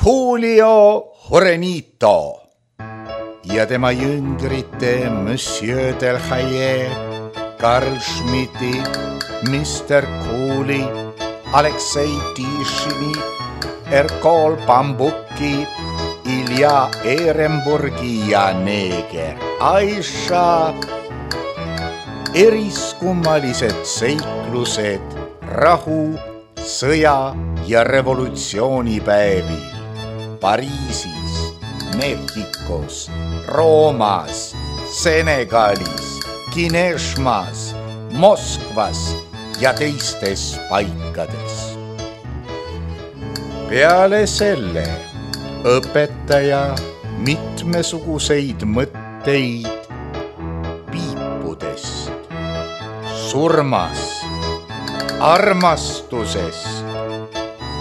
Julio Jurenito ja tema jüngrite Monsieur Delhaye, Karl Schmidti, Mr. Cooley, Aleksei Tišini, Erkol Bambuki, Ilja Ehrenburgi ja neeger Aisha. Eriskummalised seiklused rahu, sõja ja revolutsioonipäevil Pariisis, Mehhikos, Roomas, Senegalis, Kineshmas, Moskvas ja teistes paikades. Peale selle õpetaja mitmesuguseid mõtteid piipudest, surmast, armastusest,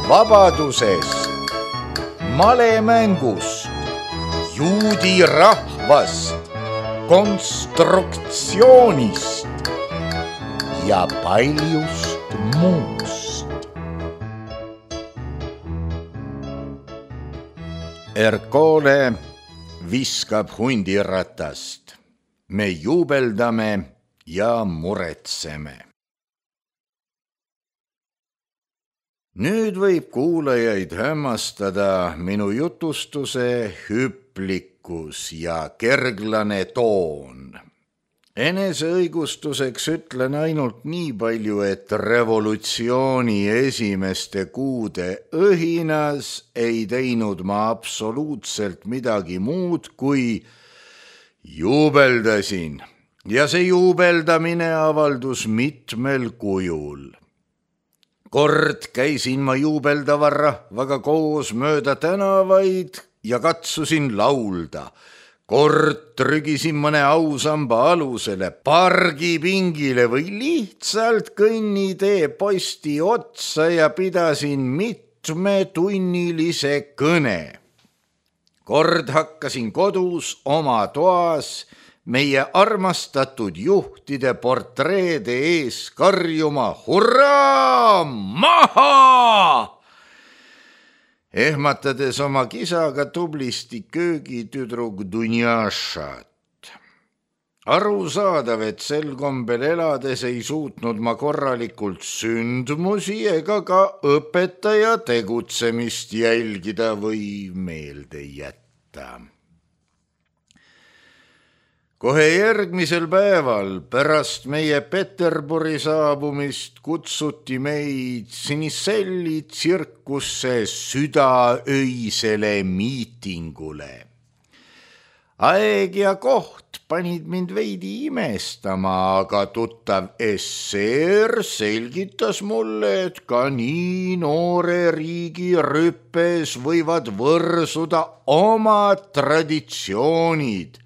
vabadusest, malemängust, juudi rahvast, konstruktsioonist ja paljust muust. Ercole viskab hundiratast. Me juubeldame ja muretseme. Nüüd võib kuulajaid hämmastada minu jutustuse hüplikkus ja kerglane toon. Eneseõigustuseks ütlen ainult nii palju, et revolutsiooni esimeste kuude õhinas ei teinud ma absoluutselt midagi muud, kui juubeldasin. Ja see juubeldamine avaldus mitmel kujul. Kord käisin ma juubeldava rahvaga koos mööda tänavaid ja katsusin laulda. Kord trügisin mõne ausamba alusele, pargipingile või lihtsalt kõnnitee posti otsa ja pidasin mitmetunnilise kõne. Kord hakkasin kodus oma toas meie armastatud juhtide portreede ees karjuma hurraa, maha! Ehmatades oma kisaga tublisti köögitüdruk Dunjašat. Arusaadav, et sel kombel elades ei suutnud ma korralikult sündmusi ega ka õpetaja tegutsemist jälgida või meelde jätta. Kohe järgmisel päeval pärast meie Peterburi saabumist kutsuti meid Siniselli tsirkusse südaöisele miitingule. Aeg ja koht panid mind veidi imestama, aga tuttav esseer selgitas mulle, et ka nii noore riigi rüppes võivad võrsuda omad traditsioonid.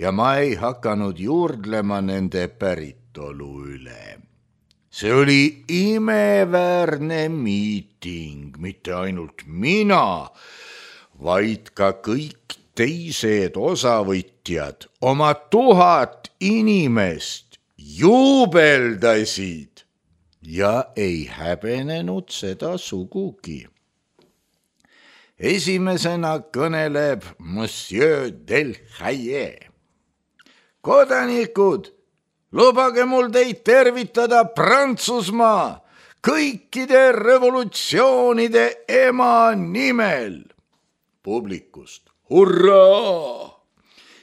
Ja ma ei hakanud juurdlema nende päritolu üle. See oli imeväärne miiting, mitte ainult mina, vaid ka kõik teised osavõtjad, oma 1000 inimest juubeldasid ja ei häbenenud seda sugugi. Esimesena kõneleb Monsieur Delhaye. Kodanikud, lubage mul teid tervitada Prantsusmaa kõikide revolutsioonide ema nimel. Publikust, hurraa!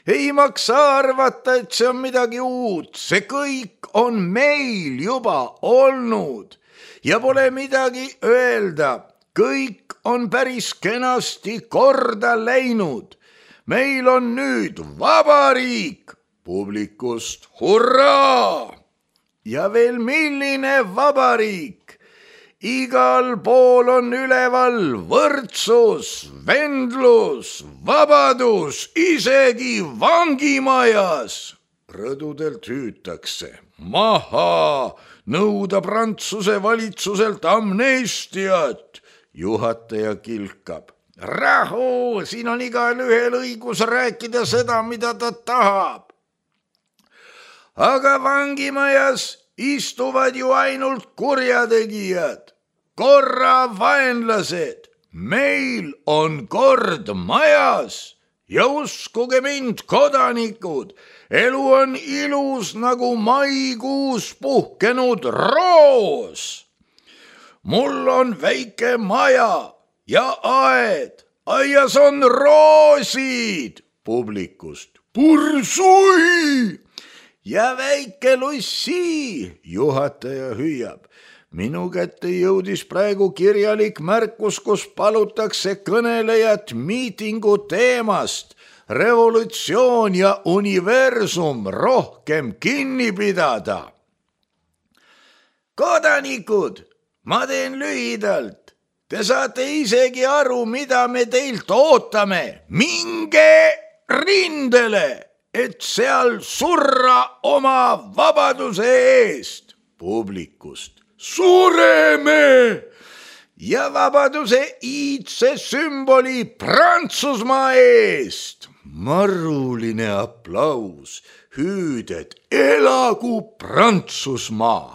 Ei maksa arvata, et see on midagi uut, see kõik on meil juba olnud ja pole midagi öelda, kõik on päris kenasti korda läinud. Meil on nüüd vabariik. Publikust, hurraa! Ja veel milline vabariik! Igal pool on üleval võrdsus, vendlus, vabadus, isegi vangimajas. Rõdudelt hüütakse, maha, nõuda Prantsuse valitsuselt amnestiat. Juhataja kilkab, rahu, siin on igal ühel õigus rääkida seda, mida ta tahab. Aga vangimajas istuvad ju ainult kurjategijad, korra vaenlased. meil on kord majas ja uskuge mind, kodanikud, elu on ilus nagu maikuus puhkenud roos. mul on väike maja ja aed, aias on roosid. Publikust pursui ja väike lussi. Juhataja hüüab. Minu kätte jõudis praegu kirjalik märkus, kus palutakse kõnelejat miitingu teemast revolutsioon ja universum rohkem kinni pidada. Kodanikud, ma teen lühidalt. Te saate isegi aru, mida me teilt ootame. Minge rindele, et seal surra oma vabaduse eest. Publikust. Sureme ja vabaduse iidse sümboli Prantsusmaa eest. Maruline aplaus, hüüded, elagu Prantsusmaa.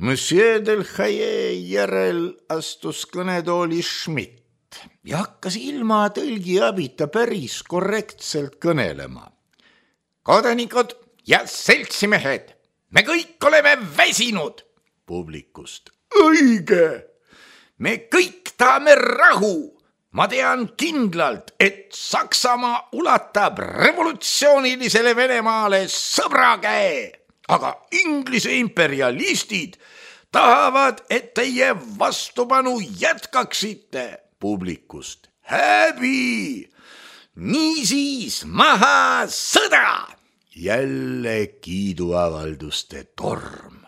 Monsieur Delhaye järel astus kõnetooli Schmidt ja hakkas ilma tõlgi abita päris korrektselt kõnelema. Kodanikud ja seltsimehed, me kõik oleme väsinud. Publikust. Õige. Me kõik tahame rahu. Ma tean kindlalt, et Saksamaa ulatab revolutsioonilisele Venemaale sõbra käe, aga Inglise imperialistid tahavad, et teie vastupanu jätkaksite. Publikust. Häbi. Niisiis maha sõda. Jälle kiiduavalduste torm.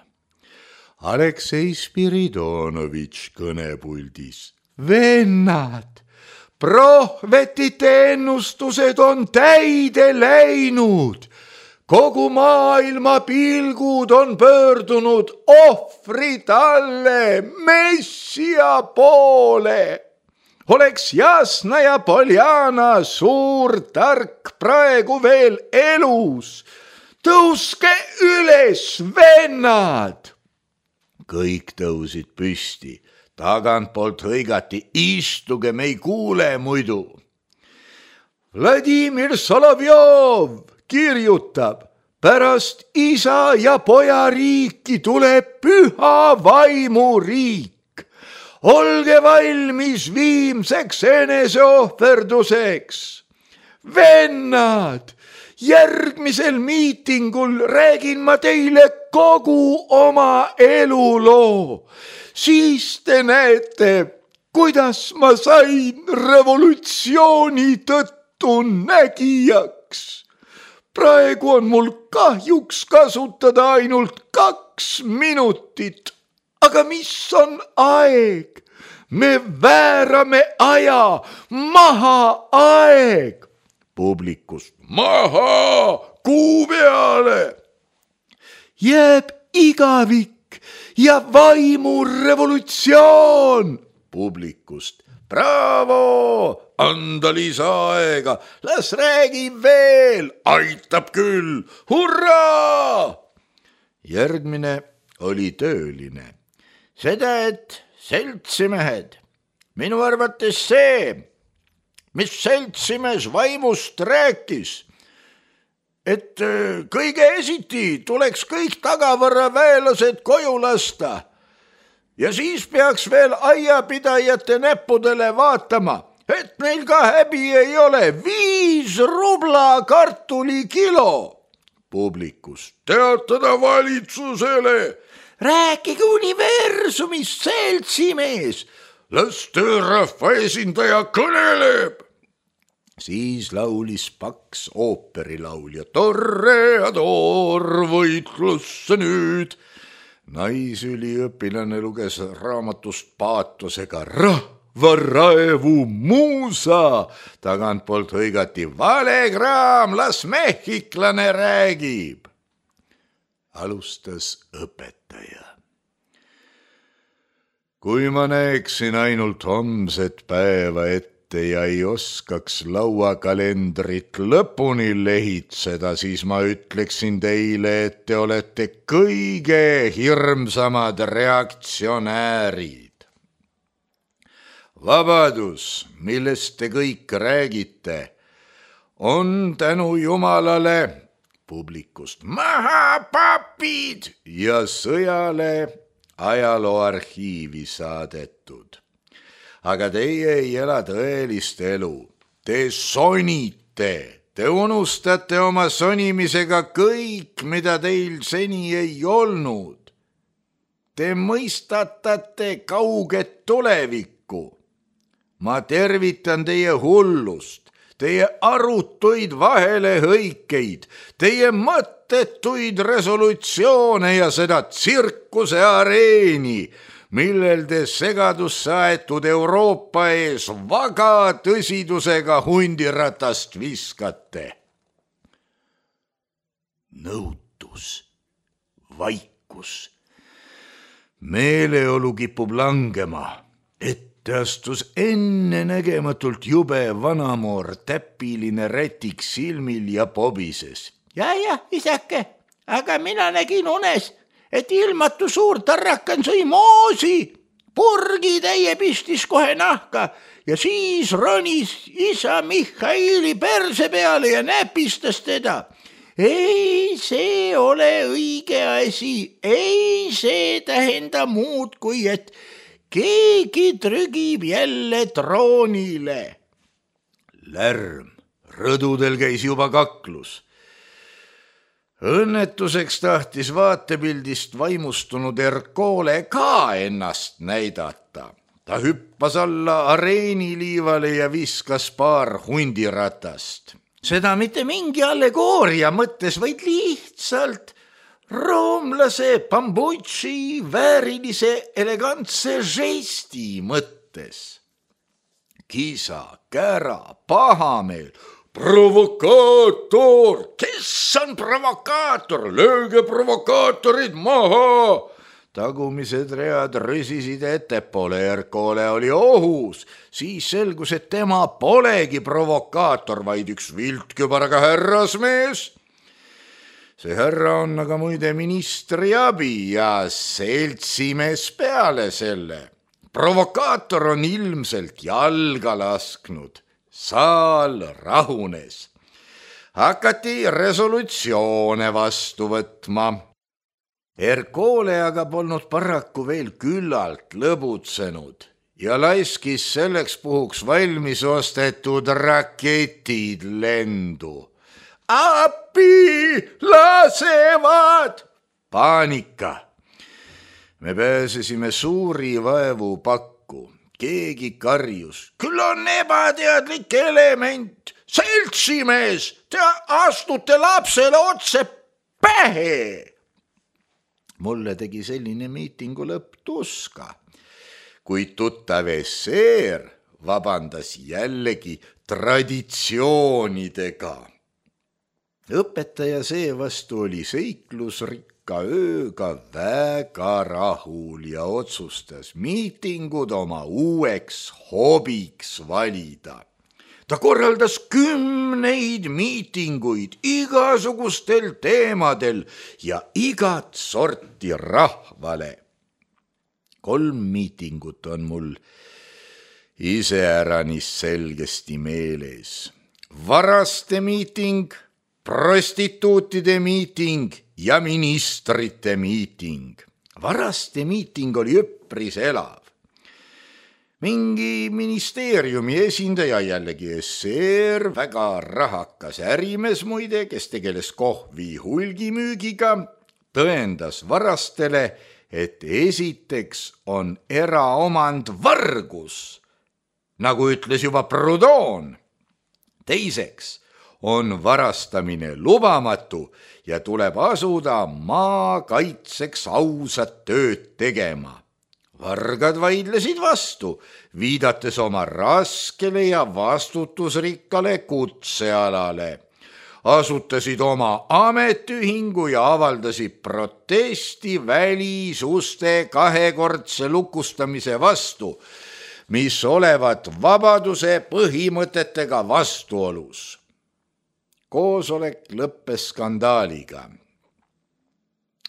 Aleksei Spiridonovitš kõnepuldis. Vennad, prohvetite ennustused on täide läinud. Kogu maailma pilgud on pöördunud ohvrid alle Messia poole. Oleks Jasna ja Poljana suur tark praegu veel elus. Tõuske üles, vennad! Kõik tõusid püsti. Tagantpoolt hõigati, istuge, me ei kuule muidu. Vladimir Solovjov kirjutab, pärast isa ja poja riiki tuleb püha vaimu riik. Olge valmis viimseks eneseohverduseks. Vennad, järgmisel miitingul räägin ma teile kogu oma eluloo. Siis te näete, kuidas ma sain revolutsiooni tõttu nägijaks. Praegu on mul kahjuks kasutada ainult 2 minutit. Aga mis on aeg? Me väärame aja, maha aeg. Publikust. Maha, kuu peale. Jääb igavik ja vaimurevolutsioon. Publikust. Bravo, anda lisaaega, las räägib veel, aitab küll, hurraa! Järgmine oli tööline. Seda, et seltsimehed, minu arvates see, mis seltsimees vaimust rääkis, et kõige esiti tuleks kõik tagavaraväelased koju lasta ja siis peaks veel aiapidajate näppudele vaatama, et neil ka häbi ei ole. 5 rubla kartulikilo. Publikust. Teatada valitsusele. Rääkige universumist, seltsimees. Las töörahva esindaja kõneleb. Siis laulis paks ooperilaulja. Toreador, võitlusse nüüd. Naisüliõpilane luges raamatust paatosega rahvaraevu muusa. Tagantpoolt hõigati valekraam, las mehhiklane räägib. Alustas õpetaja. Kui ma näeksin ainult homset päeva ette ja ei oskaks lauakalendrit lõpuni lehitseda, siis ma ütleksin teile, et te olete kõige hirmsamad reaktsionäärid. vabadus, millest te kõik räägite, on tänu Jumalale publikust maha papid ja sõjale ajalooarhiivi saadetud. Aga teie ei ela tõelist elu. Te sonite, te unustate oma sonimisega kõik, mida teil seni ei olnud. Te mõistatate kauget tulevikku. Ma tervitan teie hullust, teie arutuid vahelehõikeid, teie mõttetuid resolutsioone ja seda tsirkuse areeni, millel te segadusse aetud Euroopa ees vaga tõsidusega hundiratast viskate. Nõutus, vaikus, meeleolu kipub langema, ette astus ennenägematult jube vanamoor, täpiline rätik silmil ja pobises. Ja, isake, aga mina nägin unes, et ilmatu suur tarrakan sõi moosi, purgitäie pistis kohe nahka ja siis ronis isa Mihhaili perse peale ja näpistas teda. Ei, see ole õige asi, ei see tähenda muud kui, et keegi trügib jälle troonile. Lärm, rõdudel käis juba kaklus. Õnnetuseks tahtis vaatepildist vaimustunud Ercole ka ennast näidata. Ta hüppas alla areeniliivale ja viskas paar hundiratast. Seda mitte mingi allegooria mõttes, vaid lihtsalt roomlase Pambucci väärilise elegantse žesti mõttes. Kisa, kära, pahameel, provokaator, kes on provokaator, lööge provokaatorid maha. Tagumised read rüsisid ettepoole, Ercole oli ohus, siis selgus, et tema polegi provokaator, vaid üks viltkübaraga härrasmees. See härra on aga muide ministri abi ja seltsimees peale selle. Provokaator on ilmselt jalga lasknud. Saal rahunes. Hakati resolutsioone vastu võtma. Ercole aga polnud paraku veel küllalt lõbutsenud ja laiskis selleks puhuks valmis ostetud raketid lendu. Appi, lasevad! Paanika. Me pääsesime suuri vaevu pakku. Keegi karjus. Küll on ebateadlik element. Seltsimees, te astute lapsele otse pähe. Mulle tegi selline miitingu lõpp tuska, kuid tuttav esseer vabandas jällegi traditsioonidega. Õpetaja seevastu oli seiklusrikka ööga väga rahul ja otsustas miitingud oma uueks hobiks valida. Ta korraldas 10 miitinguid igasugustel teemadel ja igat sorti rahvale. 3 miitingut on mul iseäranis selgesti meeles. Varaste miiting, prostituutide miiting ja ministrite miiting. Varaste miiting oli üpris elav. Mingi ministeeriumi esindaja, jällegi esseer, väga rahakas ärimees muide, kes tegeles kohvi hulgimüügiga, tõendas varastele, et esiteks on eraomand vargus, nagu ütles juba Proudhon. Teiseks on varastamine lubamatu ja tuleb asuda maa kaitseks ausat tööd tegema. Vargad vaidlesid vastu, viidates oma raskele ja vastutusrikkale kutsealale. Asutasid oma ametiühingu ja avaldasid protesti välisuste kahekordse lukustamise vastu, mis olevat vabaduse põhimõtetega vastuolus. Koosolek lõppes skandaaliga.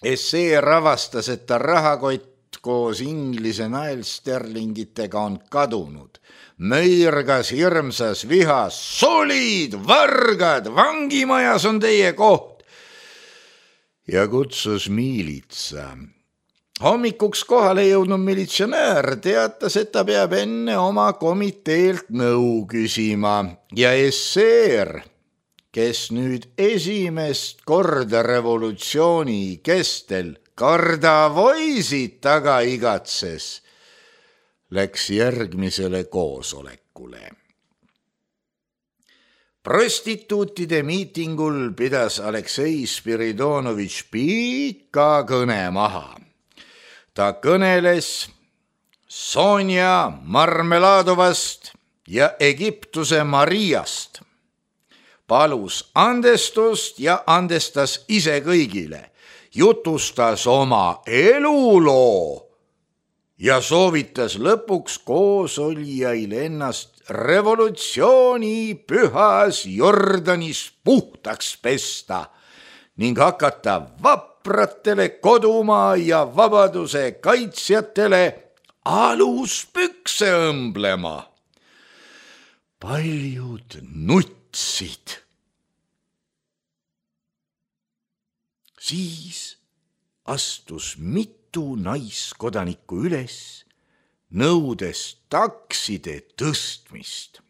Esseer avastas, et ta rahakott koos Inglise naelsterlingitega on kadunud. Möirgas hirmsas vihas: solid, vargad, vangimajas on teie koht. Ja kutsus miilitsa. Hommikuks kohale jõudnud militsionäär teatas, et ta peab enne oma komiteelt nõu küsima ja esseer, kes nüüd esimest korda revolutsiooni kestel kardavoisid taga igatses, läks järgmisele koosolekule. Prostituutide miitingul pidas Aleksei Spiridonovitš pika kõne maha. Ta kõneles Sonja Marmeladovast ja Egiptuse Mariast. Palus andestust ja andestas ise kõigile. Jutustas oma eluloo ja soovitas lõpuks koosolijail ennast revolutsiooni pühas Jordanis puhtaks pesta ning hakata vapratele kodumaa ja vabaduse kaitsjatele aluspükse õmblema. Paljud nutsid. Siis astus mitu naiskodanikku üles, nõudes takside tõstmist.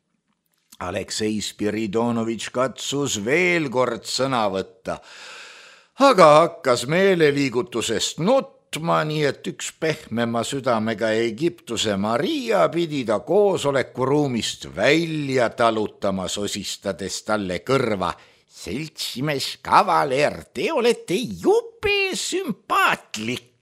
Aleksei Spiridonovitš katsus veel kord sõna võtta, aga hakkas meeleliigutusest nutma, nii et üks pehmema südamega Egiptuse Maria pidi ta koosolekuruumist välja talutama, sosistades talle kõrva: seltsimees kavaler, te olete jube sümpaatlik.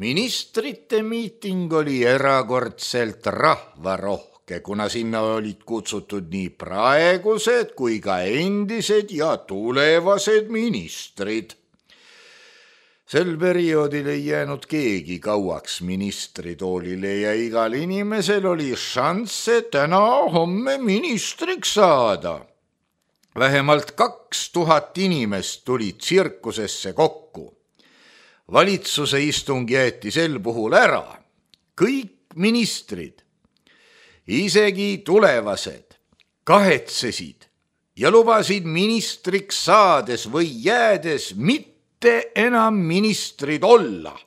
Ministrite miiting oli erakordselt rahvarohke, kuna sinna olid kutsutud nii praegused kui ka endised ja tulevased ministrid. Sel perioodil ei jäänud keegi kauaks ministritoolile ja igal inimesel oli šansse täna-homme ministriks saada. Vähemalt 2000 inimest tuli tsirkusesse kokku. Valitsuse istung jäeti sel puhul ära. Kõik ministrid, isegi tulevased, kahetsesid ja lubasid ministriks saades või jäädes mitte enam ministrid olla.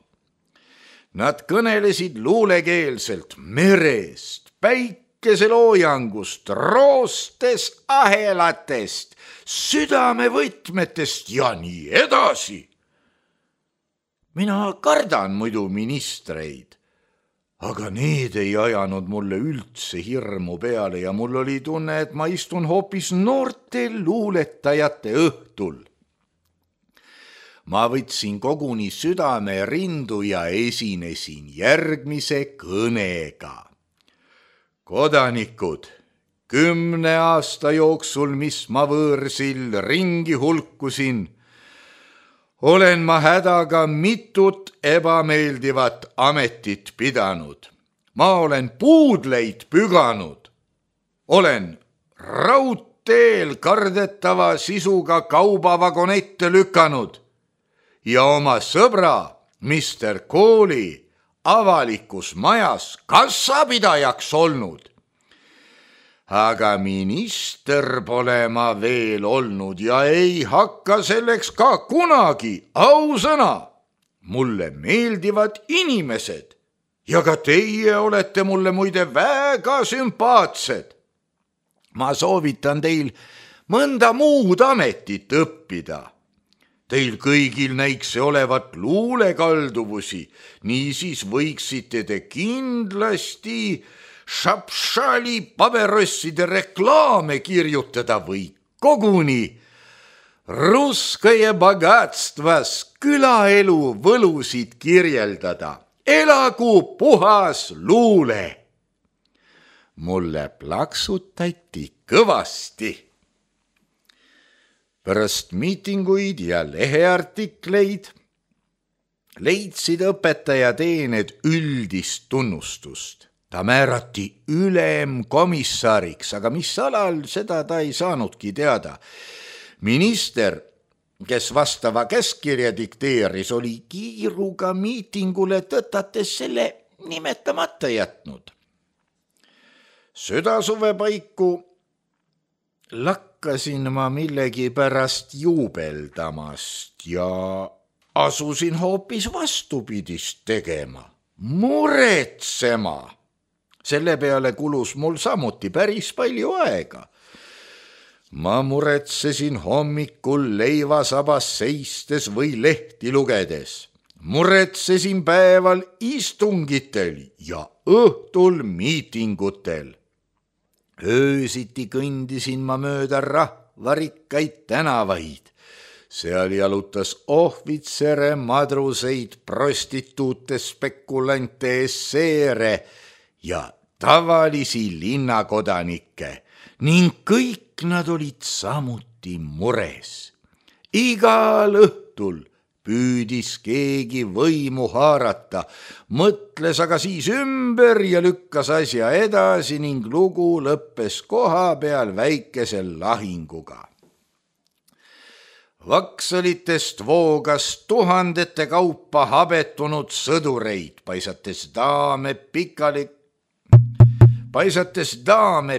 Nad kõnelesid luulekeelselt merest, päikeseloojangust, roostest, ahelatest, südamevõtmetest ja nii edasi. Mina kardan muidu ministreid, aga need ei ajanud mulle üldse hirmu peale ja mul oli tunne, et ma istun hoopis noorte luuletajate õhtul. Ma võtsin koguni südame rindu ja esinesin järgmise kõnega. Kodanikud, 10 aasta jooksul, mis ma võõrsil ringi hulkusin, olen ma hädaga mitut ebameeldivat ametit pidanud. Ma olen puudleid püganud. Olen raudteel kardetava sisuga kaubavagonette lükanud ja oma sõbra Mr. Kooli avalikus majas kassapidajaks olnud. Aga minister pole ma veel olnud ja ei hakka selleks ka kunagi, ausõna. Mulle meeldivad inimesed ja ka teie olete mulle muide väga sümpaatsed. Ma soovitan teil mõnda muud ametit õppida. Teil kõigil näiks olevat luulekalduvusi, niisiis võiksite te kindlasti Šapšali paberosside reklaame kirjutada või koguni Russkaje bogatstvas külaelu võlusid kirjeldada. Elagu puhas luule! Mulle plaksutati kõvasti. Pärast miitinguid ja leheartikleid leidsid õpetajateened üldist tunnustust. Ta määrati ülemkomissariks, aga mis alal, seda ta ei saanudki teada. Minister kes vastava käskkirja dikteeris, oli kiiruga miitingule tõtates selle nimetamata jätnud. Südasuve paiku lakkasin ma millegipärast juubeldamast ja asusin hoopis vastupidist tegema, muretsema. Selle peale kulus mul samuti päris palju aega. Ma muretsesin hommikul leivasabas seistes või lehti lugedes. Muretsesin päeval istungitel ja õhtul miitingutel. Öösiti kõndisin ma mööda rahvarikkaid tänavaid. Seal jalutas ohvitsere, madruseid, prostituute, spekulante, esseere ja tavalisi linnakodanikke ning kõik nad olid samuti mures. Igal õhtul püüdis keegi võimu haarata, mõtles aga siis ümber ja lükkas asja edasi ning lugu lõppes koha peal väikese lahinguga. Vaksalitest voogas tuhandete kaupa habetunud sõdureid, paisates daame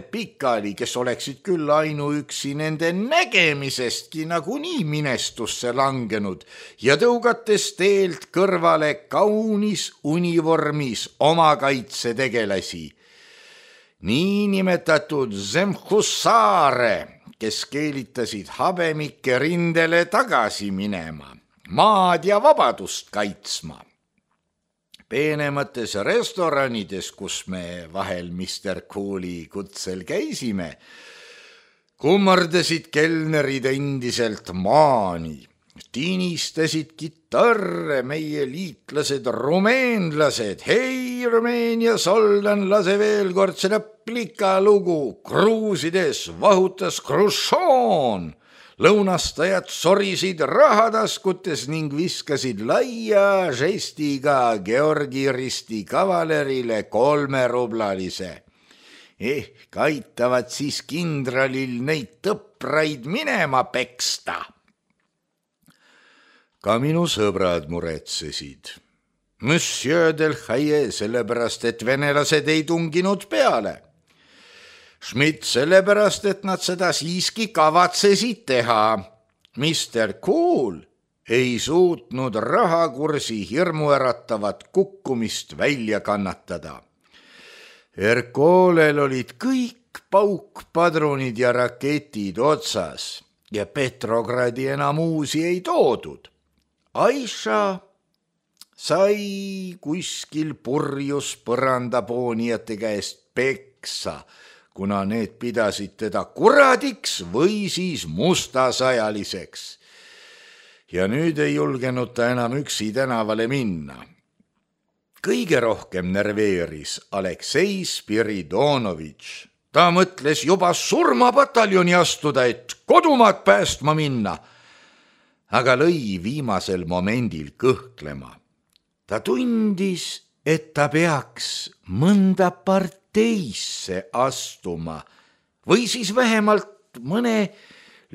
pikali, kes oleksid küll ainuüksi nende nägemisestki nagunii minestusse langenud ja tõugates teelt kõrvale kaunis univormis omakaitsetegelasi. Niinimetatud zemhussaare, kes keelitasid habemikke rindele tagasi minema, maad ja vabadust kaitsma. Peenemates restoranides, kus me vahel Mr. Cool'i kutsel käisime, kummardasid kelnerid endiselt maani, tinistasid kitarre meie liitlased rumeenlased. Hei, Rumeenia soldan, lase veel kord seda plika lugu. Gruusides vahutas Hruštšov. Lõunastajad sorisid rahataskutes ning viskasid laia žestiga Georgi risti kavalerile 3-rublalise. Ehk aitavad siis kindralil neid tõpraid minema peksta. Ka minu sõbrad muretsesid. Monsieur Delhaye sellepärast, et venelased ei tunginud peale. Schmidt sellepärast, et nad seda siiski kavatsesid teha. Mr. Cool ei suutnud rahakursi hirmuäratavat kukkumist välja kannatada. Erkolel olid kõik paukpadrunid ja raketid otsas ja Petrogradi enam uusi ei toodud. Aisha sai kuskil purjus põrandapoonijate käest peksa, kuna need pidasid teda kuradiks või siis mustasajaliseks. Ja nüüd ei julgenud ta enam üksi tänavale minna. Kõige rohkem nerveeris Aleksei Spiridonovitš. Ta mõtles juba surmapataljoni astuda, et kodumaad päästma minna, aga lõi viimasel momendil kõhklema. Ta tundis, et ta peaks mõnda parteisse astuma või siis vähemalt mõne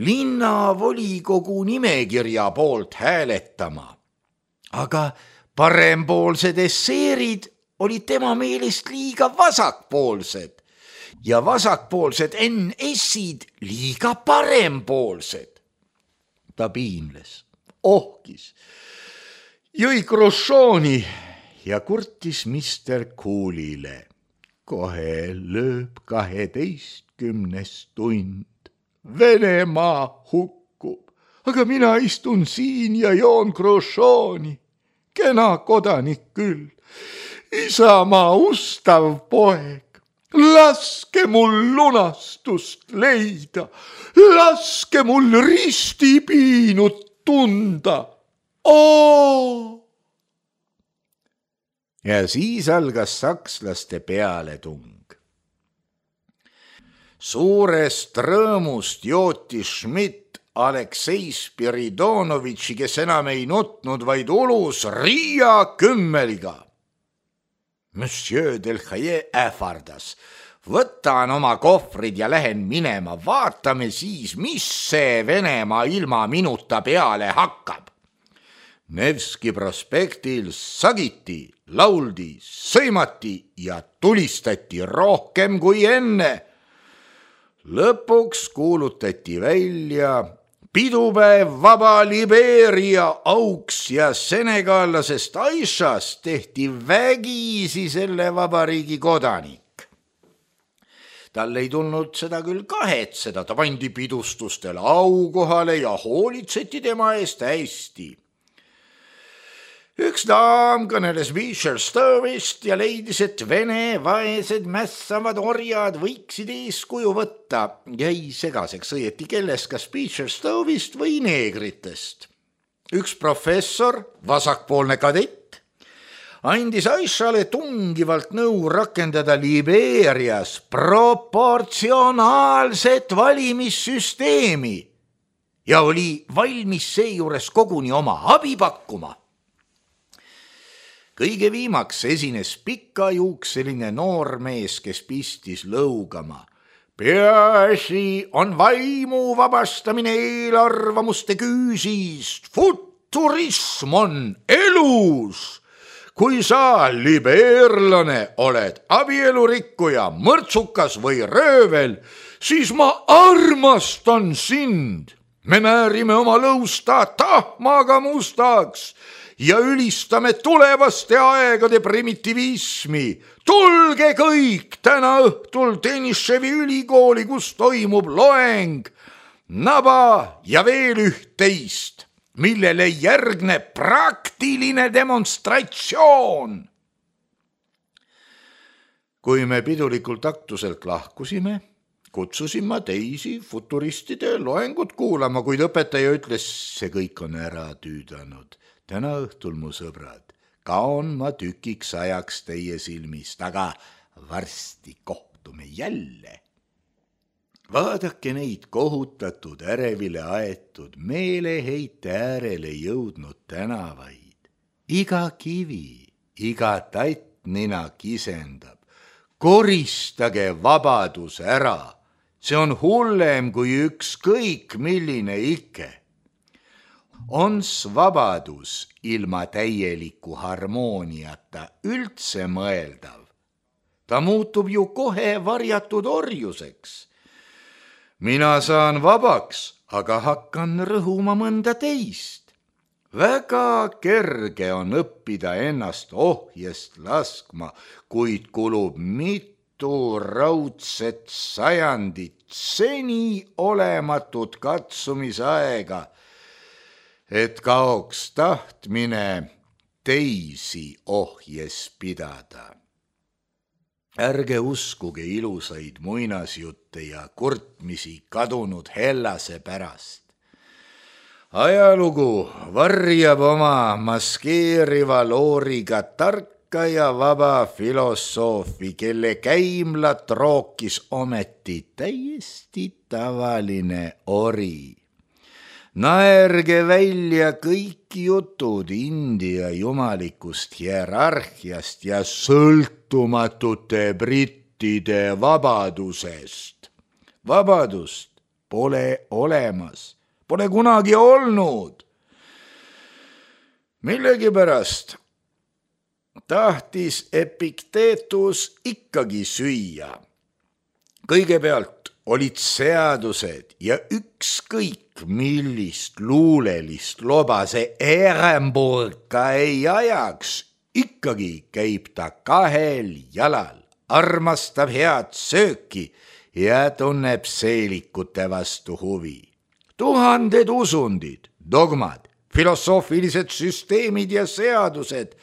linnavolikogu nimekirja poolt hääletama. Aga parempoolsed esseerid olid tema meelest liiga vasakpoolsed ja vasakpoolsed NS-id liiga parempoolsed. Ta piinles, ohkis, jõi Hruštšovi ja kurtis Mr. Coolile. Kohe lööb 12. tund. Venemaa hukkub, aga mina istun siin ja joon Hruštšovi. Kena kodanik küll. Isamaa ustav poeg. Laske mul lunastust leida. Laske mul ristipiinut tunda. Oo! Ja siis algas sakslaste pealetung. Suurest rõõmust jootis Schmidt Aleksei Spiridonovitši, kes enam ei nutnud, vaid ulus Riia kümmeliga. Monsieur Delhaye ähvardas. võtan oma kohvrid ja lähen minema, vaatame siis, mis see Venemaa ilma minuta peale hakkab. Nevski prospektil sagiti, lauldi, sõimati ja tulistati rohkem kui enne. Lõpuks kuulutati välja pidupäev vaba Libeeria auks ja senegallasest Aishast tehti vägisi selle vabariigi kodanik. Tal ei tulnud seda küll kahetseda, ta pandi pidustustel aukohale ja hoolitseti tema eest hästi. Üks daam kõneles Beecher-Stovist ja leidis, et Vene vaesed mässavad orjad võiksid eeskuju võtta. Jäi segaseks õieti kelles, kas Beecher-Stovist või neegritest. Üks professor, vasakpoolne kadett, andis Aishale tungivalt nõu rakendada Libeerias proportsionaalset valimissüsteemi ja oli valmis seejuures koguni oma abi pakkuma. Kõige viimaks esines pikajuukseline noormees, kes pistis lõugama. Peaasi on vaimu vabastamine eelarvamuste küüsist. Futurism on elus. Kui sa, libeerlane, oled abielurikkuja, mõrtsukas või röövel, siis ma armastan sind. Me määrime oma lõusta tahmaga mustaks ja ülistame tulevaste aegade primitivismi. Tulge kõik täna õhtul Teniševi ülikooli, kus toimub loeng, naba ja veel üht-teist, millele järgneb praktiline demonstratsioon. Kui me pidulikult aktuselt lahkusime, kutsusin ma teisi futuristide loengut kuulama, kuid õpetaja ütles, see kõik on ära tüüdanud. Täna õhtul, mu sõbrad, kaon ma tükiks ajaks teie silmist, aga varsti kohtume jälle. Vaadake neid kohutatud, ärevile aetud, meeleheite äärele jõudnud tänavaid. Iga kivi, iga tattnina kisendab. Koristage vabadus ära. See on hullem kui ükskõik milline ikke. Ons vabadus ilma täieliku harmooniata üldse mõeldav. Ta muutub ju kohe varjatud orjuseks. Mina saan vabaks, aga hakkan rõhuma mõnda teist. Väga kerge on õppida ennast ohjest laskma, kuid kulub mitu raudset sajandit seni olematut katsumisaega, et kaoks tahtmine teisi ohjes pidada. Ärge uskuge ilusaid muinasjutte ja kurtmisi kadunud Hellase pärast. Ajalugu varjab oma maskeeriva looriga tarka ja vaba filosoofi, kelle käimlat rookis ometi täiesti tavaline ori. Naerge välja kõik jutud India jumalikust hierarhiast ja sõltumatute brittide vabadusest. Vabadust pole olemas, pole kunagi olnud. Millegipärast tahtis Epikteetus ikkagi süüa. Kõigepealt olid seadused ja ükskõik millist luulelist loba see Ehrenburg ka ei ajaks, ikkagi käib ta kahel jalal, armastab head sööki ja tunneb seelikute vastu huvi. Tuhanded usundid, dogmad, filosoofilised süsteemid ja seadused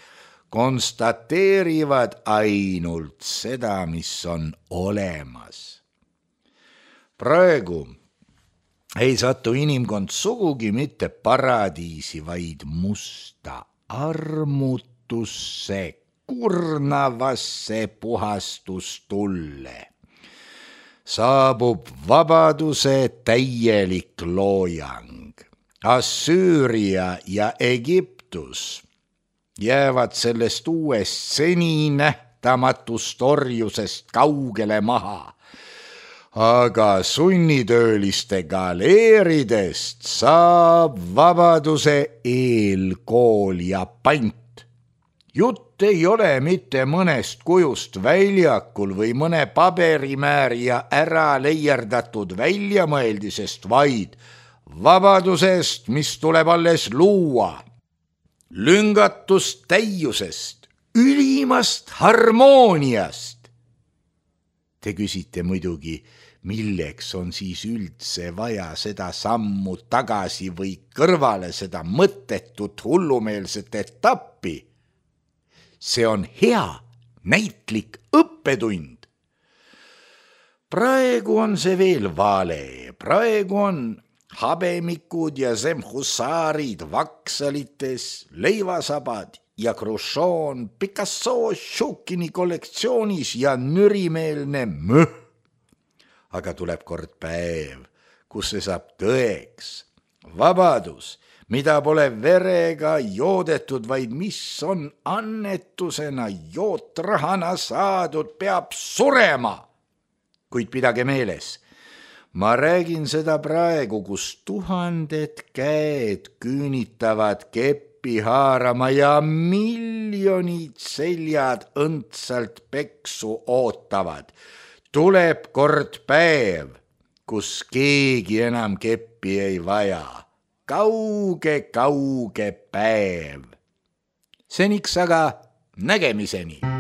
konstateerivad ainult seda, mis on olemas. Praegu ei satu inimkond sugugi mitte paradiisi, vaid musta armutusse, kurnavasse puhastustulle. Saabub vabaduse täielik loojang. Assüüria ja Egiptus jäävad sellest uuest seni nähtamatuks nähtamatust orjusest kaugele maha. Aga sunnitööliste galeeridest saab vabaduse eelkool ja pant. Jutt ei ole mitte mõnest kujust väljakul või mõne paberimäärija ära leierdatud väljamõeldisest, vaid vabadusest, mis tuleb alles luua, lüngatust täiusest, ülimast harmooniast. Te küsite muidugi, milleks on siis üldse vaja seda sammu tagasi või kõrvale, seda mõttetut hullumeelset etappi. See on hea näitlik õppetund. Praegu on see veel vale, praegu on habemikud ja semhussaarid vaksalites, leivasabad ja Khrushchev Picasso Šukini kollektsioonis ja nürimeelne möh. Aga tuleb kord päev, kus see saab tõeks. Vabadus, mida pole verega joodetud, vaid mis on annetusena jootrahana saadud, peab surema. Kuid pidage meeles, ma räägin seda praegu, kus 1000 käed küünitavad keppi haarama ja miljonid seljad õndsalt peksu ootavad. Tuleb kord päev, kus keegi enam keppi ei vaja. Kauge päev. Seniks aga nägemiseni.